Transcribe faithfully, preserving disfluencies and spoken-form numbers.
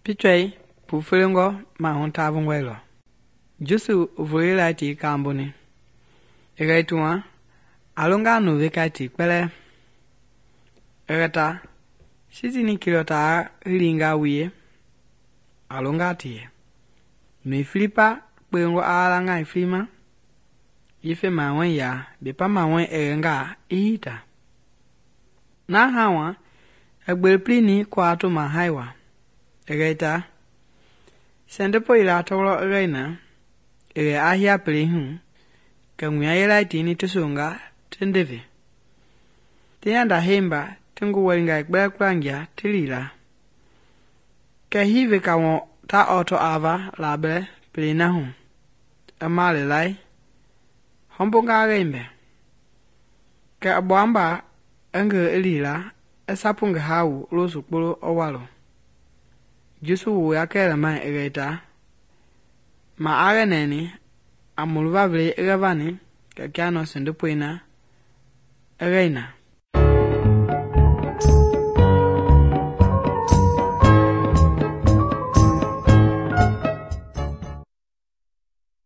Pichɔi pufelengɔ mahu tavungɔe lɔ. Jesu voyelai ti kamboni. Ɛgɛ tuŋa, a longa nu vekai ti kpɛlɛɛ. Ɛgɛ ta, sitini kilɔ taa hilinga wie, a longa ti yɛ. Nui filipa kpewengɔ a la ngai filima, yife mawɔi ya, bepa mawɔi ɛgɛnga i hita. Na hawa, ɛgbele plini kwa to ma haiwa. Ɛgɛ ta, sɛndɛpɔ yila tɔlɔ ɛgɛ na, ɛgɛ ahia pele hu, kɛ ŋuya yelai ti ni tisonga tindeve. Tiyanda hemba tingu wɛlinga kpɛlɛ kplangia tilila. Kɛ hive ka wɔ ta ɔtɔ ava labɛ pele na hu. Ɛma lelai, hɔmbonga gɛimbɛ. Kɛ ɔbɔamba ɛngɛ ilila, ɛsapu ngɛ hawu losu kpolo ɔwalɔ. Jesu wo ya kɛlɛmai ɛgɛ ta, ma agɛ nɛni, a muluva vele ɛgɛ vani, kɛ kia nɔ sɛndɛpɔi na ɛgɛ na.